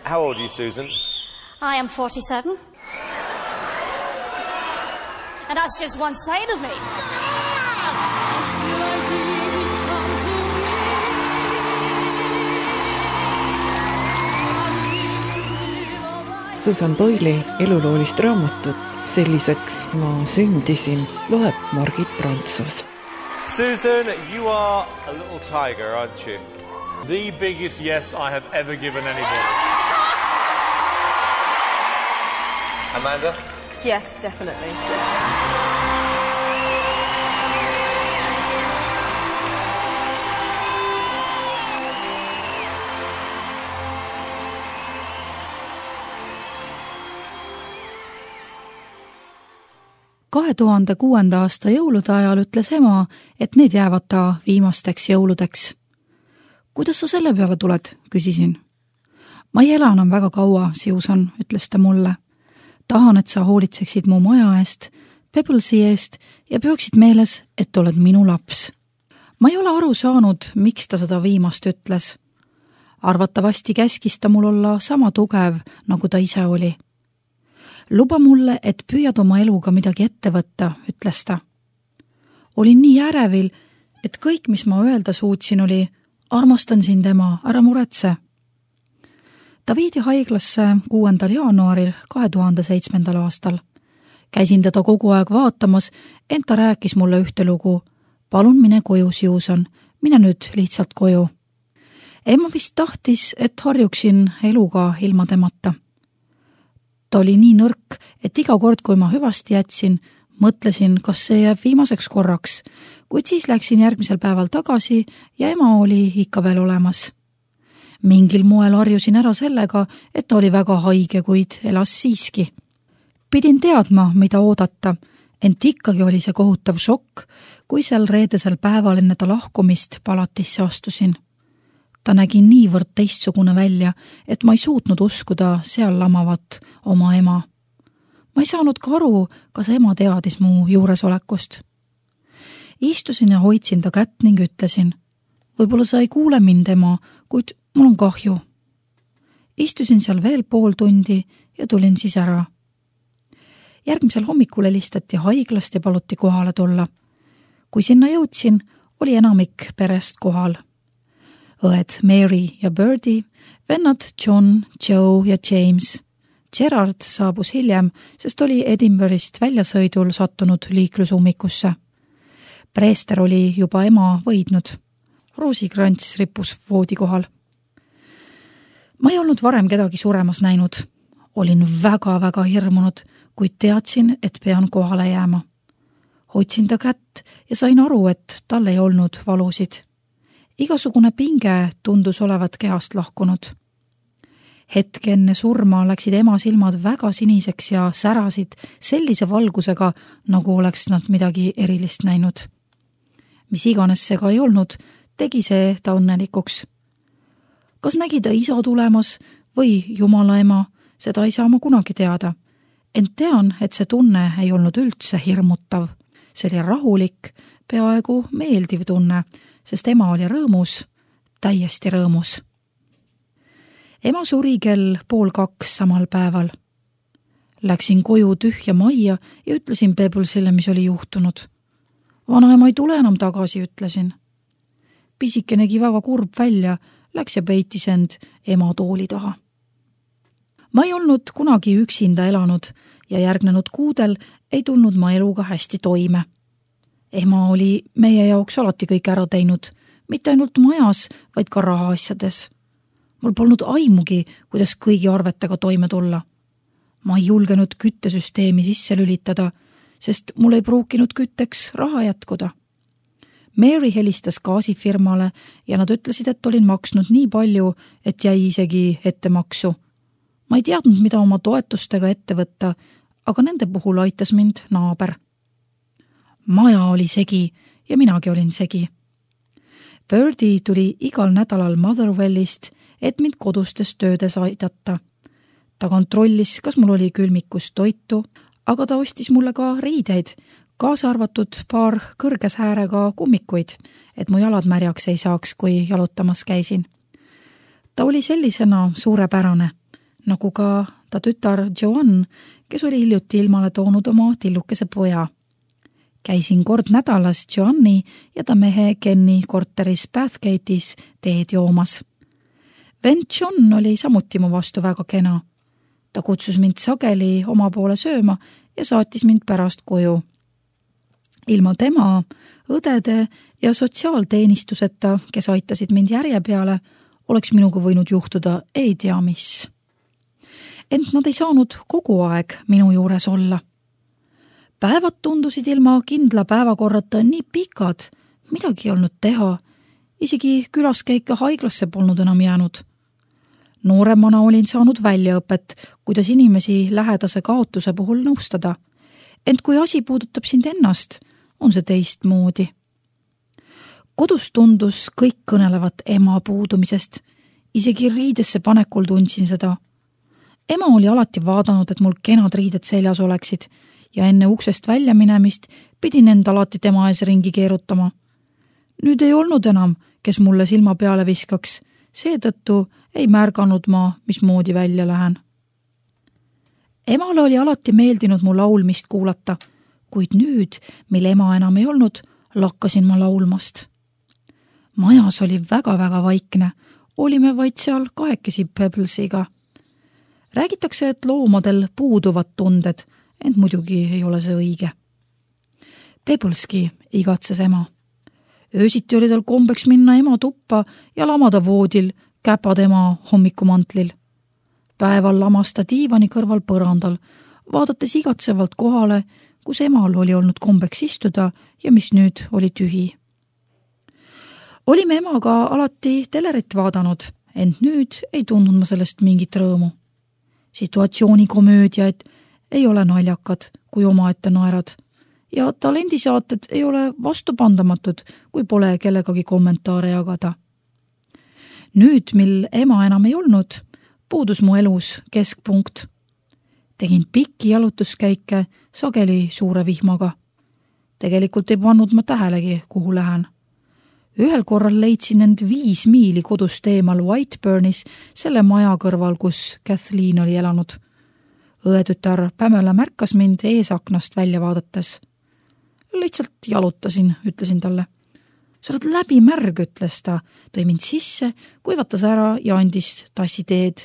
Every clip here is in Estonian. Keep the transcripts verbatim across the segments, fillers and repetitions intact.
How old are you, Susan? I am forty-seven. And that's just one side of me. Susan Boyle'i eluloolist raamatut Selliseks ma sündisin loeb Margit Prantsus. Susan, you are a little tiger, aren't you? The biggest yes I have ever given anybody. Amanda? Yes, definitely. kahe tuhande kuuenda aasta jõulude ajal ütles ema, et need jäävad ta viimasteks jõuludeks. Kuidas sa selle peale tuled, küsisin. Ma ei ela enam väga kaua, Susan, ütles ta mulle. Tahan, et sa hoolitseksid mu maja eest, Pebblesi eest ja peaksid meeles, et oled minu laps. Ma ei ole aru saanud, miks ta seda viimast ütles. Arvatavasti käskis ta mul olla sama tugev, nagu ta ise oli. Luba mulle, et püüad oma eluga midagi ette võtta, ütles ta. Olin nii ärevil, et kõik, mis ma öelda suutsin, oli armastan sind ema, ära muretse. Ta viidi haiglasse kuuendal jaanuaril kahe tuhande seitsmendal aastal. Käisin teda kogu aeg vaatamas, ent ta rääkis mulle ühte lugu. Palun mine koju, Susan, mine nüüd lihtsalt koju. Emma vist tahtis, et harjuksin eluga ilma temata. Ta oli nii nõrk, et iga kord, kui ma hüvasti jätsin, mõtlesin, kas see jääb viimaseks korraks, kuid siis läksin järgmisel päeval tagasi ja ema oli ikka veel olemas. Mingil moel harjusin ära sellega, et ta oli väga haige, kuid elas siiski. Pidin teadma, mida oodata, ent ikkagi oli see kohutav šokk, kui seal reedesel päeval enne ta lahkumist palatisse astusin. Ta nägi niivõrd teistsugune välja, et ma ei suutnud uskuda seal lamavat oma ema. Ma ei saanud ka aru, kas ema teadis mu juuresolekust. Istusin ja hoidsin ta kätt ning ütlesin, võib-olla sa ei kuule mind, ema, kuid mul on kahju. Istusin seal veel pool tundi ja tulin siis ära. Järgmisel hommikul helistati haiglast ja paluti kohale tulla. Kui sinna jõudsin, oli enamik perest kohal. Õed Mary ja Birdie, vennad John, Joe ja James. Gerard saabus hiljem, sest oli Edinburghist väljasõidul sattunud liiklusummikusse. Preester oli juba ema võidnud. Roosikrants rippus voodi kohal. Ma ei olnud varem kedagi suremas näinud. Olin väga-väga hirmunud, kuid teadsin, et pean kohale jääma. Hoidsin ta kätt ja sain aru, et tal ei olnud valusid. Igasugune pinge tundus olevat kehast lahkunud. Hetke enne surma läksid ema silmad väga siniseks ja särasid sellise valgusega, nagu oleks nad midagi erilist näinud. Mis iganes see ka ei olnud, tegi see ta õnnelikuks. Kas nägi ta isa tulemas või Jumala ema, seda ei saa ma kunagi teada. Ent tean, et see tunne ei olnud üldse hirmutav. See oli rahulik, peaaegu meeldiv tunne, sest ema oli rõõmus, täiesti rõõmus. Ema suri kell pool kaks samal päeval. Läksin koju tühja majja ja ütlesin Pebblesile, mis oli juhtunud. Vanaema ei tule enam tagasi, ütlesin. Pisike nägi väga kurb välja, läks ja peitis end ema tooli taha. Ma ei olnud kunagi üksinda elanud ja järgnenud kuudel ei tulnud ma eluga hästi toime. Ema oli meie jaoks alati kõik ära teinud, mitte ainult majas, vaid ka rahaasjades. Mul polnud aimugi, kuidas kõigi arvetega toime tulla. Ma ei julgenud küttesüsteemi sisse lülitada, sest mul ei pruukinud kütteks raha jätkuda. Mary helistas gaasifirmale ja nad ütlesid, et olin maksnud nii palju, et jäi isegi ettemaksu. Ma ei teadnud, mida oma toetustega ette võtta, aga nende puhul aitas mind naaber. Maja oli segi ja minagi olin segi. Birdie tuli igal nädalal Motherwellist, et mind kodustes töödes aidata. Ta kontrollis, kas mul oli külmikus toitu, aga ta ostis mulle ka riideid, kaasa arvatud paar kõrges äärega kummikuid, et mu jalad märjaks ei saaks, kui jalutamas käisin. Ta oli sellisena suurepärane. nagu ka ta tütar Joanne, kes oli hiljuti ilmale toonud oma tillukese poja. Käisin kord nädalas Joanne'i ja ta mehe Kenny korteris Bathgate'is teed joomas. Vend John oli samuti mu vastu väga kena. Ta kutsus mind sageli oma poole sööma ja saatis mind pärast koju. Ilma tema, õdede ja sotsiaalteenistuseta, kes aitasid mind järje peale, oleks minuga võinud juhtuda ei tea mis. Ent nad ei saanud kogu aeg minu juures olla. Päevad tundusid ilma kindla päevakorrata nii pikad, midagi ei olnud teha. Isegi külaskäike haiglasse polnud enam jäänud. Nooremana olin saanud väljaõpet, kuidas inimesi lähedase kaotuse puhul nõustada. Ent kui asi puudutab sind ennast, on see teistmoodi. Kodus tundus kõik kõnelevat ema puudumisest. Isegi riidesse panekul tundsin seda. Ema oli alati vaadanud, et mul kenad riided seljas oleksid ja enne uksest välja minemist pidin end alati tema ees ringi keerutama. Nüüd ei olnud enam, kes mulle silma peale viskaks, seetõttu ei märganud ma, mismoodi välja lähen. Emale oli alati meeldinud mu laulmist kuulata, kuid nüüd, mil ema enam ei olnud, lakkasin ma laulmast. Majas oli väga-väga vaikne, olime vaid seal kahekesi Pebblesiga. Räägitakse, et loomadel puuduvad tunded, ent muidugi ei ole see õige. Pebbleski igatses ema. Öösiti oli tal kombeks minna ema tuppa ja lamada voodil, käpad ema hommikumantlil. Päeval lamas ta diivani kõrval põrandal, vaadates igatsevalt kohale, kus emal oli olnud kombeks istuda ja mis nüüd oli tühi. Olime emaga alati telerit vaadanud, ent nüüd ei tundnud ma sellest mingit rõõmu. Situatsioonikomöödiaid ei ole naljakad, kui omaette naerad, ja talendisaated ei ole vastupandamatud, kui pole kellegagi kommentaare jagada. Nüüd, mil ema enam ei olnud, puudus mu elus keskpunkt. Tegin pikki jalutuskäike sageli suure vihmaga. Tegelikult ei pannud ma tähelegi, kuhu lähen. Ühel korral leidsin end viis miili kodust eemal Whiteburnis, selle maja kõrval, kus Kathleen oli elanud. Õetütar Pamela märkas mind eesaknast välja vaadates. Lihtsalt jalutasin, ütlesin talle. Sa oled läbi märg, ütles ta, tõi mind sisse, kuivatas ära ja andis tassi teed.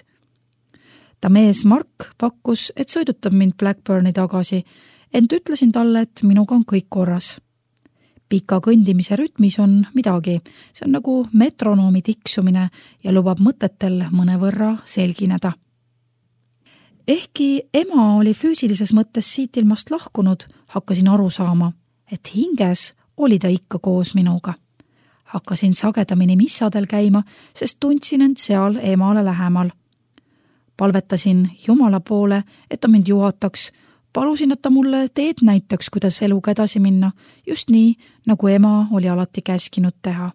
Ta mees Mark pakkus, et sõidutab mind Blackburni tagasi, ent ütlesin talle, et minuga on kõik korras. Pika kõndimise rütmis on midagi, see on nagu metronoomi tiksumine ja lubab mõtetel mõnevõrra selgineda. Ehkki ema oli füüsilises mõttes siit ilmast lahkunud, hakkasin aru saama, et hinges oli ta ikka koos minuga. Hakkasin sagedamini missadel käima, sest tundsin end seal emale lähemal. Palvetasin Jumala poole, et ta mind juhataks, palusin, et ta mulle teed näitaks, kuidas eluga edasi minna, just nii, nagu ema oli alati käskinud teha.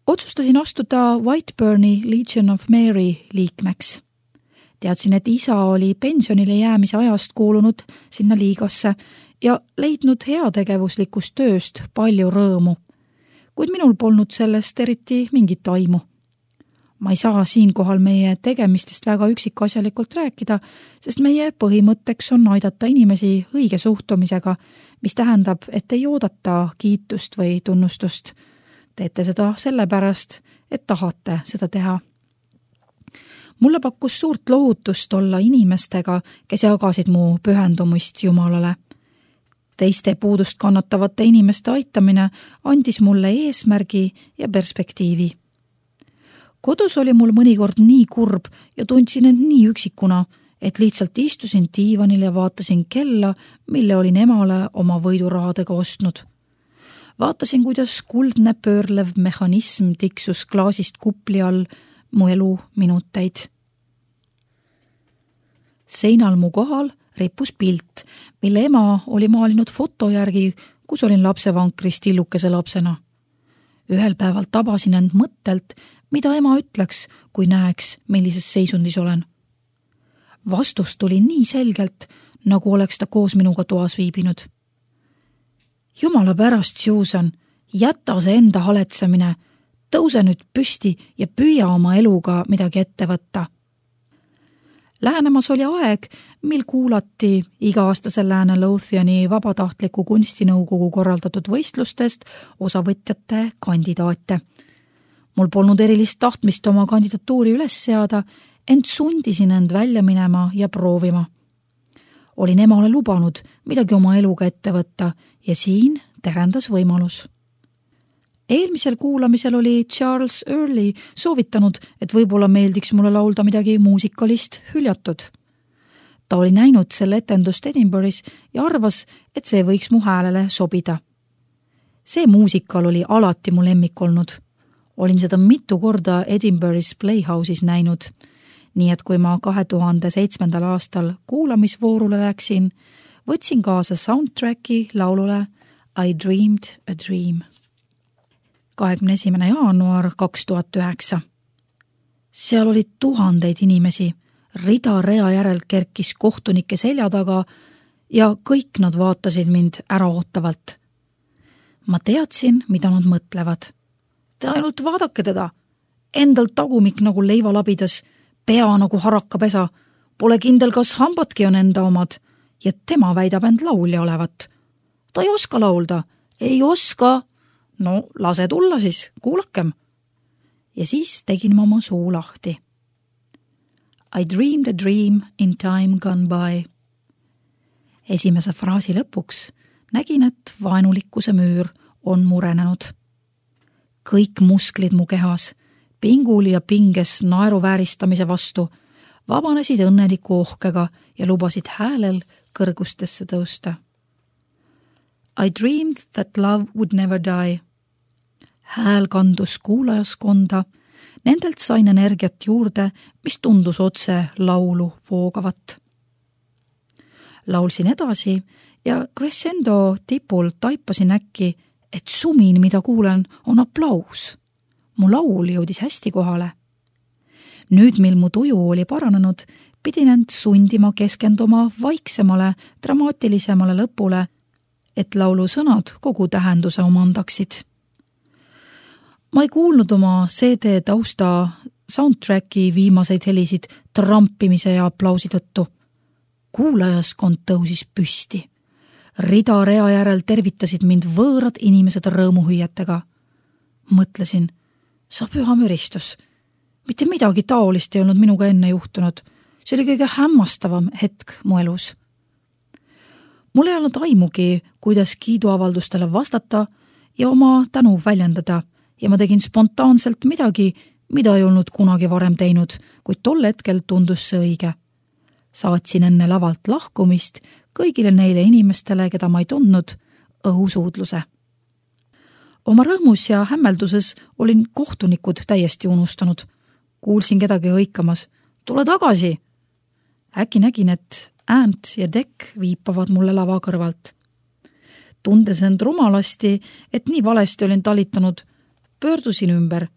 Otsustasin astuda Whiteburni Legion of Mary liikmeks. Teadsin, et isa oli pensionile jäämise ajast kuulunud sinna liigasse ja leidnud heategevuslikust tööst palju rõõmu, kuid minul polnud sellest eriti mingit aimu. Ma ei saa siinkohal meie tegemistest väga üksikasjalikult rääkida, sest meie põhimõtteks on aidata inimesi õige suhtumisega, mis tähendab, et ei oodata kiitust või tunnustust. Teete seda sellepärast, et tahate seda teha. Mulle pakkus suurt lohutust olla inimestega, kes jagasid mu pühendumist Jumalale. Teiste puudust kannatavate inimeste aitamine andis mulle eesmärgi ja perspektiivi. Kodus oli mul mõnikord nii kurb ja tundsin end nii üksikuna, et lihtsalt istusin diivanil ja vaatasin kella, mille olin emale oma võidurahadega ostnud. Vaatasin, kuidas kuldne pöörlev mehhanism tiksus klaasist kupli all mu elu minuteid. Seinal mu kohal rippus pilt, mille ema oli maalinud foto järgi, kus olin lapsevankris tillukese lapsena. Ühel päeval tabasin end mõttelt, mida ema ütleks, kui näeks, millises seisundis olen. Vastus tuli nii selgelt, nagu oleks ta koos minuga toas viibinud. Jumala pärast, Susan, jäta see enda haletsemine, tõuse nüüd püsti ja püüa oma eluga midagi ette võtta. Lähenemas oli aeg, mil kuulati iga-aastasel Lääne Lothiani vabatahtliku kunstinõukogu korraldatud võistlustest osavõtjate kandidaate. Mul polnud erilist tahtmist oma kandidatuuri üles seada, ent sundisin end välja minema ja proovima. Olin emale lubanud midagi oma eluga ette võtta ja siin terendas võimalus. Eelmisel kuulamisel oli Charles Early soovitanud, et võib-olla meeldiks mulle laulda midagi muusikalist hüljatud. Ta oli näinud selle etendust Edinburgh'is ja arvas, et see võiks mu häälele sobida. See muusikal oli alati mu lemmik olnud. Olin seda mitu korda Edinburgh'is Playhouse'is näinud, nii et kui ma kahe tuhande seitsmendal aastal kuulamisvoorule läksin, võtsin kaasa soundtracki laulule I Dreamed a Dream. kahekümne esimene jaanuar kaks tuhat üheksa. Seal oli tuhandeid inimesi, rida rea järel kerkis kohtunike selja taga ja kõik nad vaatasid mind äraootavalt. Ma teadsin, mida nad mõtlevad. Te ainult vaadake teda, endal tagumik nagu leivalabidas, pea nagu harakapesa, pole kindel, kas hambadki on enda omad ja tema väidab end laulja olevat. Ta ei oska laulda, ei oska. No lase tulla siis, kuulakem. Ja siis tegin ma oma suu lahti. I dreamed a dream in time gone by. Esimese fraasi lõpuks nägin, et vaenulikkuse müür on murenenud. Kõik musklid mu kehas, pingul ja pinges naeruvääristamise vastu, vabanesid õnneliku ohkega ja lubasid häälel kõrgustesse tõusta. I dreamed that love would never die. Hääl kandus kuulajaskonda, nendelt sain energiat juurde, mis tundus otse laulu voogavat. Laulsin edasi ja crescendo tipul taipasin äkki, et sumin, mida kuulen, on aplaus. Mu laul jõudis hästi kohale. Nüüd, mil mu tuju oli paranenud, pidin end sundima keskenduma vaiksemale, dramaatilisemale lõpule, et laulu sõnad kogu tähenduse omandaksid. Ma ei kuulnud oma C D tausta soundtracki viimaseid helisid trampimise ja aplausi tõttu. Kuulajaskond tõusis püsti. Rida rea järel tervitasid mind võõrad inimesed rõõmuhüüetega. Mõtlesin, sa püha müristus. Mitte midagi taolist ei olnud minuga enne juhtunud. See oli kõige hämmastavam hetk mu elus. Mul ei olnud aimugi, kuidas kiiduavaldustele vastata ja oma tänu väljendada ja ma tegin spontaanselt midagi, mida ei olnud kunagi varem teinud, kuid tol hetkel tundus see õige. Saatsin enne lavalt lahkumist kõigile neile inimestele, keda ma ei tundnud, õhusuudluse. Oma rõõmus ja hämmelduses olin kohtunikud täiesti unustanud. Kuulsin kedagi hõikamas. Tule tagasi! Äkki nägin, et Ant ja Dekk viipavad mulle lava kõrvalt. Tundes end rumalasti, et nii valesti olin talitanud, pöördusin ümber.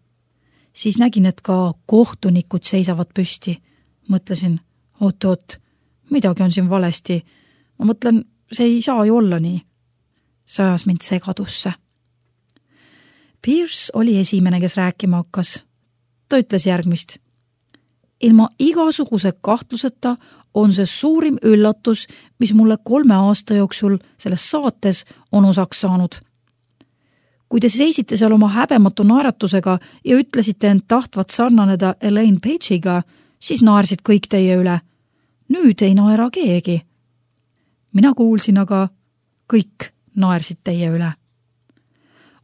Siis nägin, et ka kohtunikud seisavad püsti. Mõtlesin, oot-oot, midagi on siin valesti. Ma mõtlen, see ei saa ju olla nii. See ajas mind segadusse. Pierce oli esimene, kes rääkima hakkas. Ta ütles järgmist. Ilma igasuguse kahtluseta on see suurim üllatus, mis mulle kolme aasta jooksul selles saates on osaks saanud. Kui te seisite seal oma häbematu naeratusega ja ütlesite end tahtvat sarnaneda Elaine Page'iga, siis naersid kõik teie üle. Nüüd ei naera keegi. Mina kuulsin aga, kõik naersid teie üle.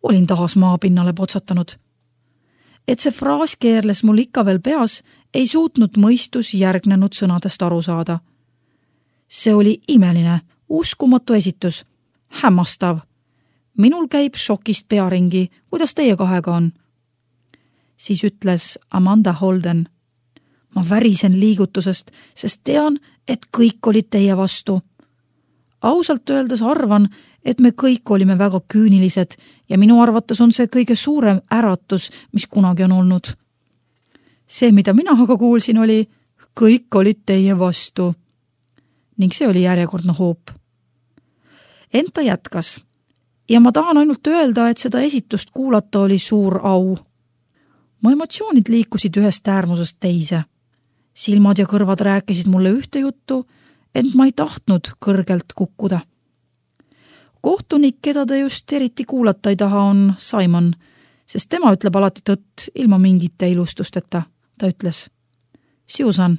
Olin taas maapinnale potsatanud. Et see fraas keerles mul ikka veel peas, ei suutnud mõistus järgnenud sõnadest aru saada. See oli imeline, uskumatu esitus, hämmastav. Minul käib šokist pearingi, kuidas teie kahega on? Siis ütles Amanda Holden. Ma värisen liigutusest, sest tean, et kõik olid teie vastu. Ausalt öeldes arvan, et me kõik olime väga küünilised ja minu arvates on see kõige suurem äratus, mis kunagi on olnud. See, mida mina aga kuulsin, oli, kõik olid teie vastu. Ning see oli järjekordne hoop. Ent ta jätkas. Ja ma tahan ainult öelda, et seda esitust kuulata oli suur au. Mu emotsioonid liikusid ühest äärmusest teise. silmad ja kõrvad rääkisid mulle ühte juttu, ent ma ei tahtnud kõrgelt kukkuda. Kohtunik, keda ta just eriti kuulata ei taha, on Simon, sest tema ütleb alati tõtt ilma mingite ilustusteta. Ta ütles: Susan,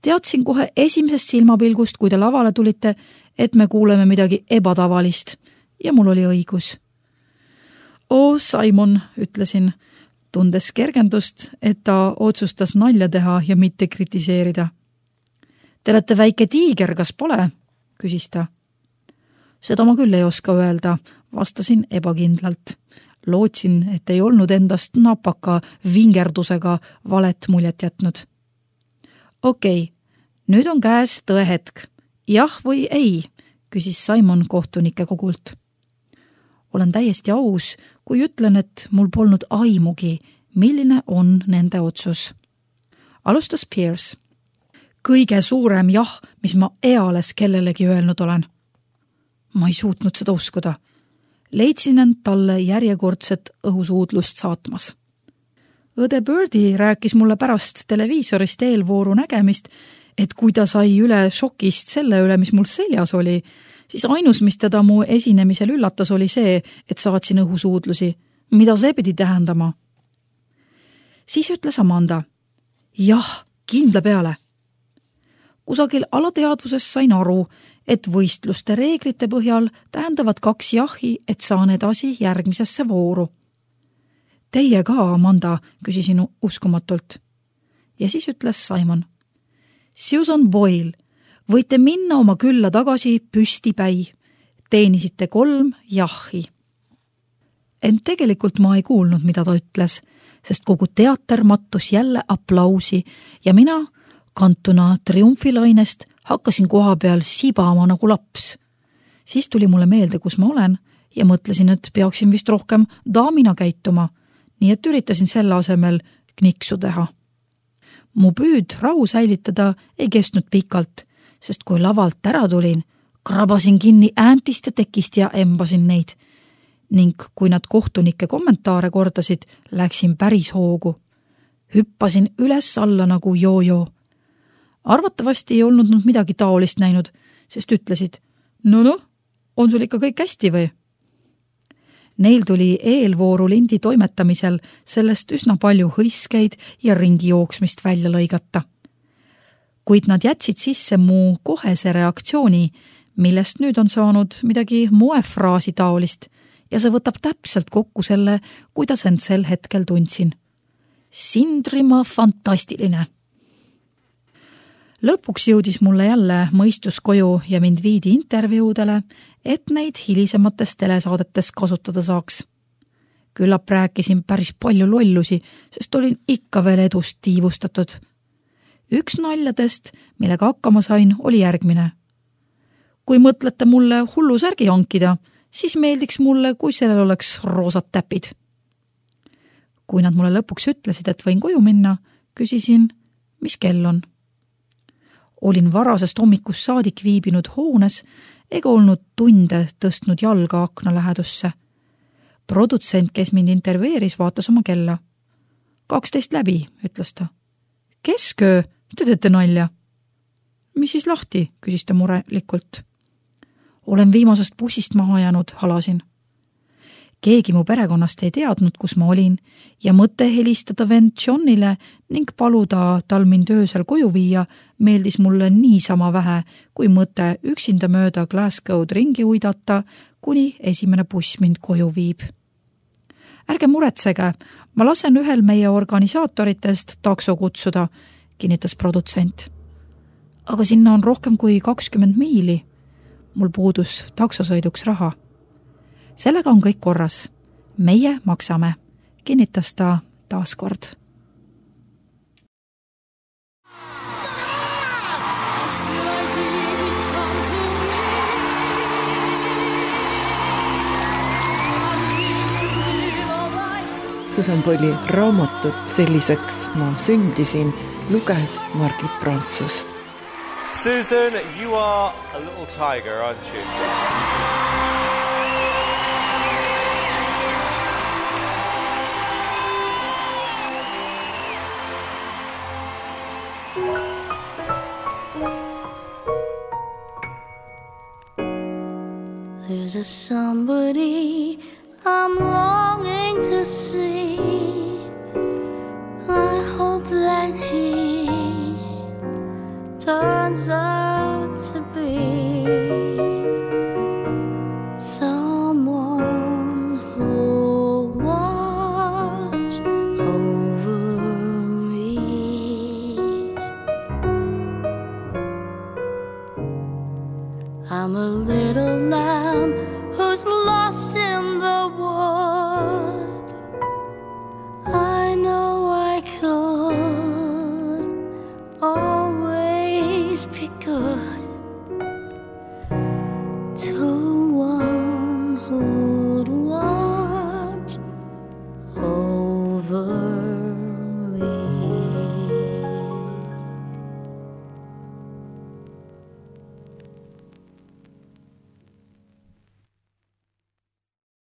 teadsin kohe esimesest silmapilgust, kui te lavale tulite, et me kuuleme midagi ebatavalist ja mul oli õigus. Oo, Simon, ütlesin, tundes kergendust, et ta otsustas nalja teha ja mitte kritiseerida. Te olete väike tiiger, kas pole? Küsis ta. Seda ma küll ei oska öelda, vastasin ebakindlalt. Lootsin, et ei olnud endast napaka vingerdusega valet muljet jätnud. Okei, okay, nüüd on käes tõe hetk. Jah või ei, küsis Simon kohtunike kogult. Olen täiesti aus, kui ütlen, et mul polnud aimugi, milline on nende otsus. Alustas Pierce. Kõige suurem jah, mis ma eales kellelegi öelnud olen. Ma ei suutnud seda uskuda. Leidsin end talle järjekordset õhusuudlust saatmas. Õde Birdie rääkis mulle pärast televiisorist eelvooru nägemist, et kui ta sai üle šokist selle üle, mis mul seljas oli, siis ainus, mis teda mu esinemisel üllatas, oli see, et saatsin õhusuudlusi. Mida see pidi tähendama? Siis ütles Amanda: jah, kindla peale. Kusagil alateadvuses sain aru, et võistluste reeglite põhjal tähendavad kaks jahi, et saan edasi järgmisesse vooru. Teie ka, Amanda, küsisin uskumatult. Ja siis ütles Simon: Susan Boyle, võite minna oma külla tagasi püstipäi. Teenisite kolm jahi. Ent tegelikult ma ei kuulnud, mida ta ütles, sest kogu teater mattus jälle aplausi ja mina, kantuna triumfilainest, hakkasin koha peal sibama nagu laps. Siis tuli mulle meelde, kus ma olen ja mõtlesin, et peaksin vist rohkem daamina käituma, nii et üritasin selle asemel kniksu teha. Mu püüd rahu säilitada ei kestnud pikalt, sest kui lavalt ära tulin, krabasin kinni ääntist ja tekist ja embasin neid. Ning kui nad kohtunike kommentaare kordasid, läksin päris hoogu. Hüppasin üles alla nagu joo-joo. Arvatavasti ei olnud nad midagi taolist näinud, sest ütlesid: no noh, on sul ikka kõik hästi või? Neil tuli eelvooru lindi toimetamisel sellest üsna palju hõiskeid ja ringi jooksmist välja lõigata. Kuid nad jätsid sisse mu kohese reaktsiooni, millest nüüd on saanud midagi moefraasi taolist ja see võtab täpselt kokku selle, kuidas end sel hetkel tundsin. Sindrima fantastiline. Lõpuks jõudis mulle jälle mõistus koju ja mind viidi intervjuudele, et neid hilisemates telesaadetes kasutada saaks. Küllap rääkisin päris palju lollusi, sest olin ikka veel edust tiivustatud. Üks naljadest, millega hakkama sain, oli järgmine. Kui mõtlete mulle hullu särgi hankida, siis meeldiks mulle, kui sellel oleks roosad täpid. Kui nad mulle lõpuks ütlesid, et võin koju minna, küsisin, mis kell on. Olin varasest hommikust saadik viibinud hoones ega olnud tunde tõstnud jalga akna lähedusse. Produtsent, kes mind intervjueeris, vaatas oma kella. kaksteist läbi, ütles ta. Kesköö, te teete nalja? Mis siis lahti, küsis ta murelikult. Olen viimasest bussist maha jäänud, halasin. Keegi mu perekonnast ei teadnud, kus ma olin ja mõte helistada vend Johnile ning paluda tal mind öösel koju viia meeldis mulle niisama vähe, kui mõte üksinda mööda Glasgow'd ringi uidata, kuni esimene buss mind koju viib. Ärge muretsege, ma lasen ühel meie organisaatoritest takso kutsuda, kinnitas produtsent. Aga sinna on rohkem kui kakskümmend miili. Mul puudus taksosõiduks raha. Sellega on kõik korras. Meie maksame, kinnitas ta taas kord. Susan Boyle'i raamatut Selliseks ma sündisin luges Margit Prantsus. Susan, you are a little tiger, aren't you? a somebody I'm longing to see. I hope that he turns out to be someone who'll watch over me. I'm a little loud